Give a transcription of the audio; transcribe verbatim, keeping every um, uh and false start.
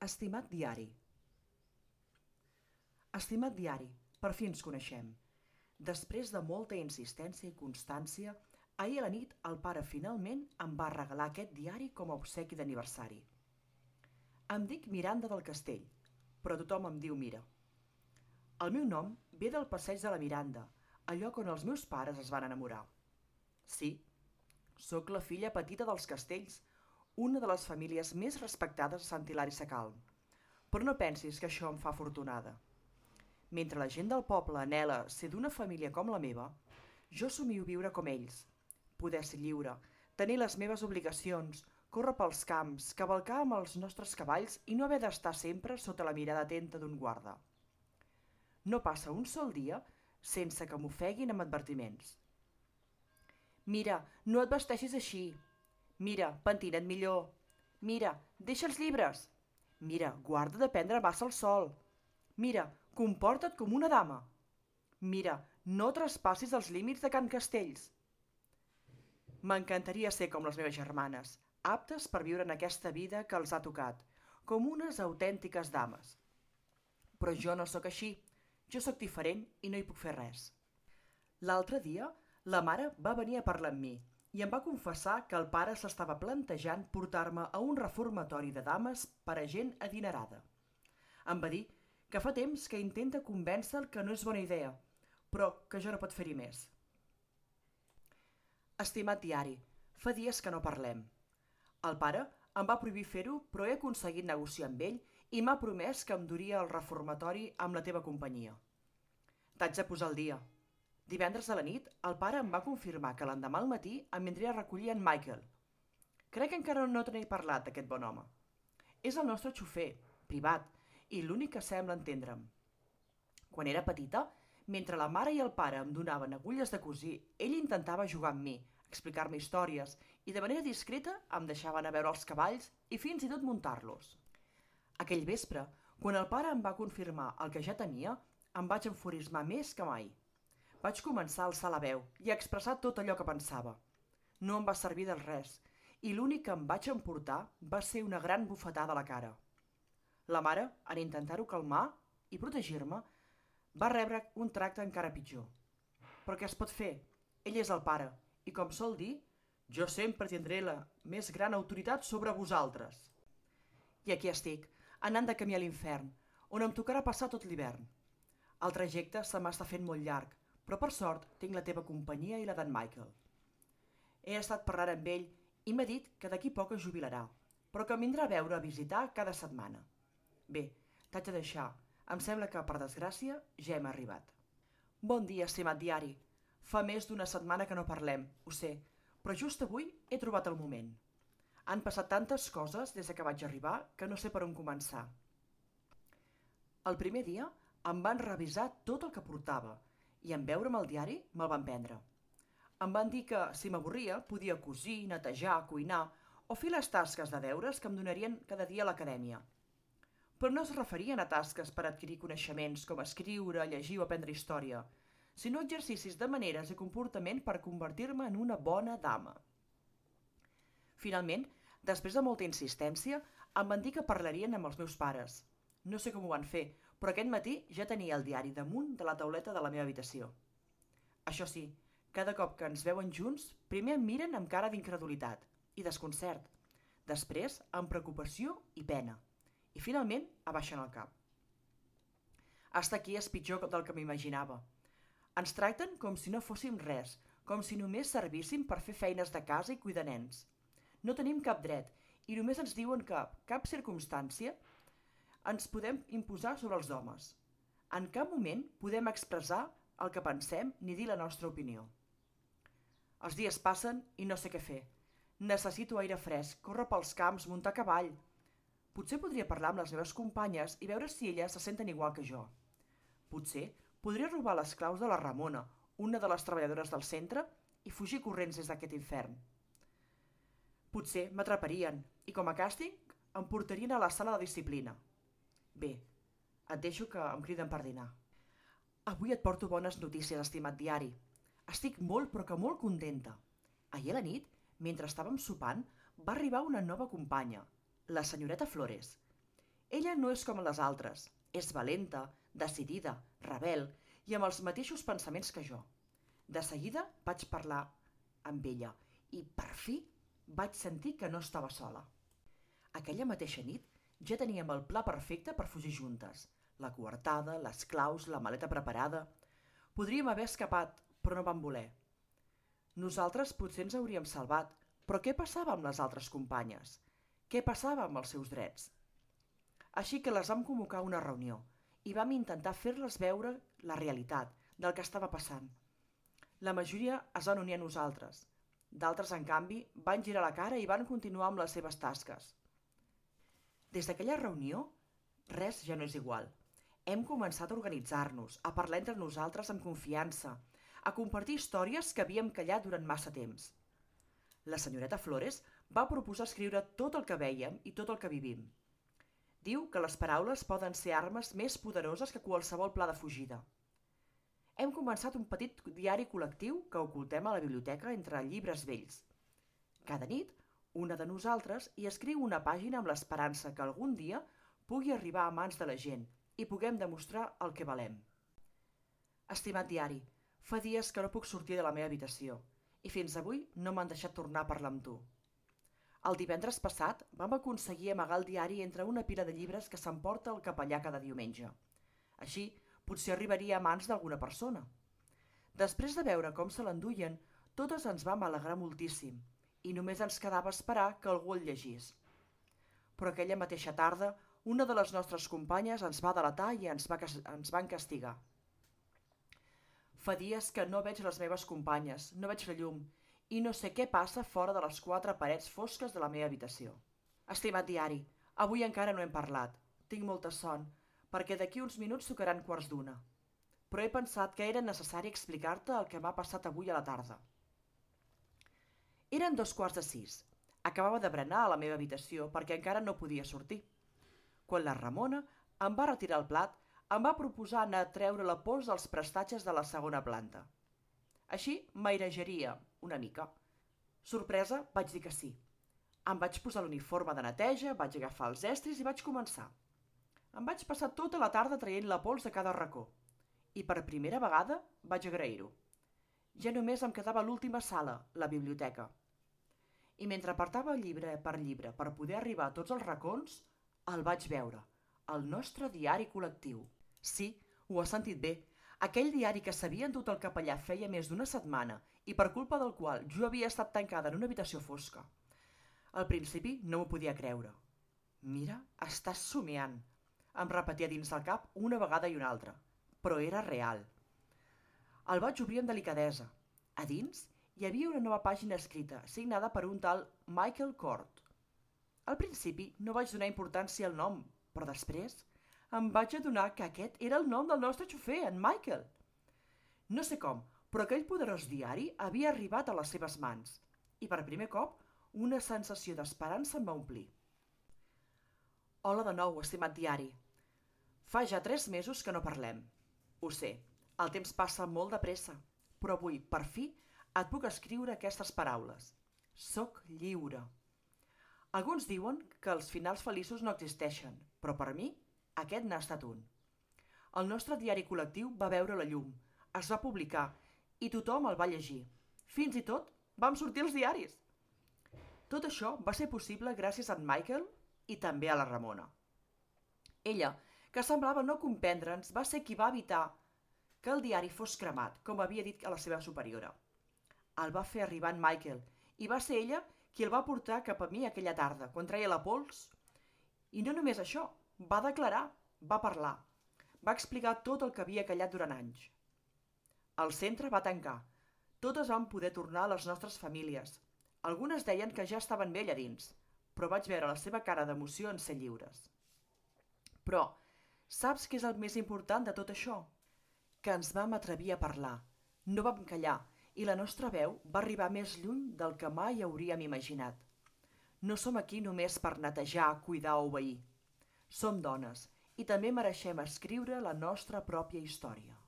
Estimat diari. Estimat diari, per fi ens coneixem. Després de molta insistència i constància, ahir a la nit el pare finalment em va regalar aquest diari com a obsequi d'aniversari. Em dic Miranda del Castell, però tothom em diu Mira. El meu nom ve del passeig de la Miranda, el lloc on els meus pares es van enamorar. Sí, sóc la filla petita dels Castells, una de les famílies més respectades a Sant Hilari Sacalm. Però no pensis que això em fa afortunada. Mentre la gent del poble anhela ser d'una família com la meva, jo somio viure com ells, poder ser lliure, tenir les meves obligacions, córrer pels camps, cavalcar amb els nostres cavalls i no haver d'estar sempre sota la mirada atenta d'un guarda. No passa un sol dia sense que m'ofeguin amb advertiments. Mira, no et vesteixis així. Mira, pentina't millor. Mira, deixa els llibres. Mira, guarda de prendre massa el sol. Mira, comporta't com una dama. Mira, no traspassis els límits de Can Castells. M'encantaria ser com les meves germanes, aptes per viure en aquesta vida que els ha tocat, com unes autèntiques dames. Però jo no sóc així, jo sóc diferent i no hi puc fer res. L'altre dia, la mare va venir a parlar amb mi i em va confessar que el pare s'estava plantejant portar-me a un reformatori de dames per a gent adinerada. Em va dir que fa temps que intenta convèncer que no és bona idea, però que jo no pot fer-hi més. Estimat diari, fa dies que no parlem. El pare em va prohibir fer-ho, però he aconseguit negociar amb ell i m'ha promès que em duria al reformatori amb la teva companyia. T'haig de posar al dia. Divendres a la nit, el pare em va confirmar que l'endemà al matí em vindria a recollir en Michael. Crec que encara no te n'he parlat, d'aquest bon home. És el nostre xofer, privat, i l'únic que sembla entendre'm. Quan era petita, mentre la mare i el pare em donaven agulles de cosir, ell intentava jugar amb mi, explicar-me històries, i de manera discreta em deixava anar a veure els cavalls i fins i tot muntar-los. Aquell vespre, quan el pare em va confirmar el que ja temia, em vaig enfurismar més que mai. Vaig començar a alçar la veu i a expressar tot allò que pensava. No em va servir de res, i l'únic que em vaig emportar va ser una gran bufetada a la cara. La mare, en intentar-ho calmar i protegir-me, va rebre un tracte encara pitjor. Però què es pot fer? Ell és el pare, i com sol dir, jo sempre tindré la més gran autoritat sobre vosaltres. I aquí estic, anant de camí a l'infern, on em tocarà passar tot l'hivern. El trajecte se m'està fent molt llarg, però per sort tinc la teva companyia i la d'en Michael. He estat parlant amb ell i m'ha dit que d'aquí poc es jubilarà, però que em vindrà a veure a visitar cada setmana. Bé, t'haig de deixar. Em sembla que, per desgràcia, ja hem arribat. Bon dia, estimat diari. Fa més d'una setmana que no parlem, ho sé, però just avui he trobat el moment. Han passat tantes coses des que vaig arribar que no sé per on començar. El primer dia em van revisar tot el que portava i en veure'm el diari me'l van prendre. Em van dir que, si m'avorria, podia cosir, netejar, cuinar o fer les tasques de deures que em donarien cada dia a l'acadèmia. Però no es referien a tasques per adquirir coneixements com escriure, llegir o aprendre història, sinó exercicis de maneres i comportament per convertir-me en una bona dama. Finalment, després de molta insistència, em van dir que parlarien amb els meus pares. No sé com ho van fer, però aquest matí ja tenia el diari damunt de la tauleta de la meva habitació. Això sí, cada cop que ens veuen junts, primer em miren amb cara d'incredulitat i desconcert, després amb preocupació i pena, i finalment abaixen el cap. Hasta aquí és pitjor del que m'imaginava. Ens tracten com si no fóssim res, com si només servíssim per fer feines de casa i cuidar nens. No tenim cap dret i només ens diuen que, cap circumstància, ens podem imposar sobre els homes. En cap moment podem expressar el que pensem ni dir la nostra opinió. Els dies passen i no sé què fer. Necessito aire fresc, córrer pels camps, muntar a cavall. Potser podria parlar amb les meves companyes i veure si elles se senten igual que jo. Potser podria robar les claus de la Ramona, una de les treballadores del centre, i fugir corrents des d'aquest infern. Potser m'atraparien i, com a càstig, em portarien a la sala de disciplina. Bé, et deixo que em criden per dinar. Avui et porto bones notícies, estimat diari. Estic molt però que molt contenta. Ahir a la nit, mentre estàvem sopant, va arribar una nova companya, la senyoreta Flores. Ella no és com les altres. És valenta, decidida, rebel i amb els mateixos pensaments que jo. De seguida vaig parlar amb ella i, per fi, vaig sentir que no estava sola. Aquella mateixa nit ja teníem el pla perfecte per fugir juntes. La coartada, les claus, la maleta preparada. Podríem haver escapat, però no vam voler. Nosaltres potser ens hauríem salvat, però què passava amb les altres companyes? Què passava amb els seus drets? Així que les vam convocar a una reunió i vam intentar fer-les veure la realitat del que estava passant. La majoria es van unir a nosaltres. D'altres, en canvi, van girar la cara i van continuar amb les seves tasques. Des d'aquella reunió, res ja no és igual. Hem començat a organitzar-nos, a parlar entre nosaltres amb confiança, a compartir històries que havíem callat durant massa temps. La senyoreta Flores va proposar escriure tot el que vèiem i tot el que vivim. Diu que les paraules poden ser armes més poderoses que qualsevol pla de fugida. Hem començat un petit diari col·lectiu que ocultem a la biblioteca entre llibres vells. Cada nit, una de nosaltres hi escriu una pàgina amb l'esperança que algun dia pugui arribar a mans de la gent i puguem demostrar el que valem. Estimat diari, fa dies que no puc sortir de la meva habitació i fins avui no m'han deixat tornar a parlar amb tu. El divendres passat vam aconseguir amagar el diari entre una pila de llibres que s'emporta el capellà cada diumenge. Així, potser arribaria a mans d'alguna persona. Després de veure com se l'enduien, totes ens vam alegrar moltíssim i només ens quedava esperar que algú el llegís. Però aquella mateixa tarda, una de les nostres companyes ens va delatar i ens, va, ens van castigar. Fa dies que no veig les meves companyes, no veig la llum, i no sé què passa fora de les quatre parets fosques de la meva habitació. Estimat diari, avui encara no hem parlat. Tinc molta son, perquè d'aquí uns minuts tocaran quarts d'una. Però he pensat que era necessari explicar-te el que m'ha passat avui a la tarda. Eren dos quarts de sis. Acabava de berenar a la meva habitació perquè encara no podia sortir. Quan la Ramona em va retirar el plat, em va proposar anar a treure la pols dels prestatges de la segona planta. Així m'airejaria una mica. Sorpresa, vaig dir que sí. Em vaig posar l'uniforme de neteja, vaig agafar els estris i vaig començar. Em vaig passar tota la tarda traient la pols de cada racó. I per primera vegada vaig agrair-ho. Ja només em quedava l'última sala, la biblioteca. I mentre apartava llibre per llibre per poder arribar a tots els racons, el vaig veure, el nostre diari col·lectiu. Sí, ho has sentit bé. Aquell diari que s'havia endut el capellà feia més d'una setmana i per culpa del qual jo havia estat tancada en una habitació fosca. Al principi no m'ho podia creure. Mira, estàs somiant, em repetia dins del cap una vegada i una altra, però era real. El vaig obrir amb delicadesa. A dins hi havia una nova pàgina escrita, signada per un tal Michael Kort. Al principi no vaig donar importància al nom, però després em vaig adonar que aquest era el nom del nostre xofer, en Michael. No sé com, però aquell poderós diari havia arribat a les seves mans i per primer cop una sensació d'esperança em va omplir. Hola de nou, estimat diari. Fa ja tres mesos que no parlem. Ho sé, el temps passa molt de pressa, però avui, per fi, et puc escriure aquestes paraules. Soc lliure. Alguns diuen que els finals feliços no existeixen, però per mi aquest n'ha estat un. El nostre diari col·lectiu va veure la llum, es va publicar i tothom el va llegir. Fins i tot vam sortir als diaris. Tot això va ser possible gràcies a en Michael i també a la Ramona. Ella, que semblava no comprendre'ns, va ser qui va evitar que el diari fos cremat, com havia dit a la seva superiora. El va fer arribar en Michael i va ser ella qui el va portar cap a mi aquella tarda, quan treia la pols. I no només això, va declarar, va parlar, va explicar tot el que havia callat durant anys. El centre va tancar, totes vam poder tornar a les nostres famílies. Algunes deien que ja estaven bé allà dins, però vaig veure la seva cara d'emoció en ser lliures. Però, saps què és el més important de tot això? Que ens vam atrevir a parlar, no vam callar, i la nostra veu va arribar més lluny del que mai hauríem imaginat. No som aquí només per netejar, cuidar o obeir. Som dones i també mereixem escriure la nostra pròpia història.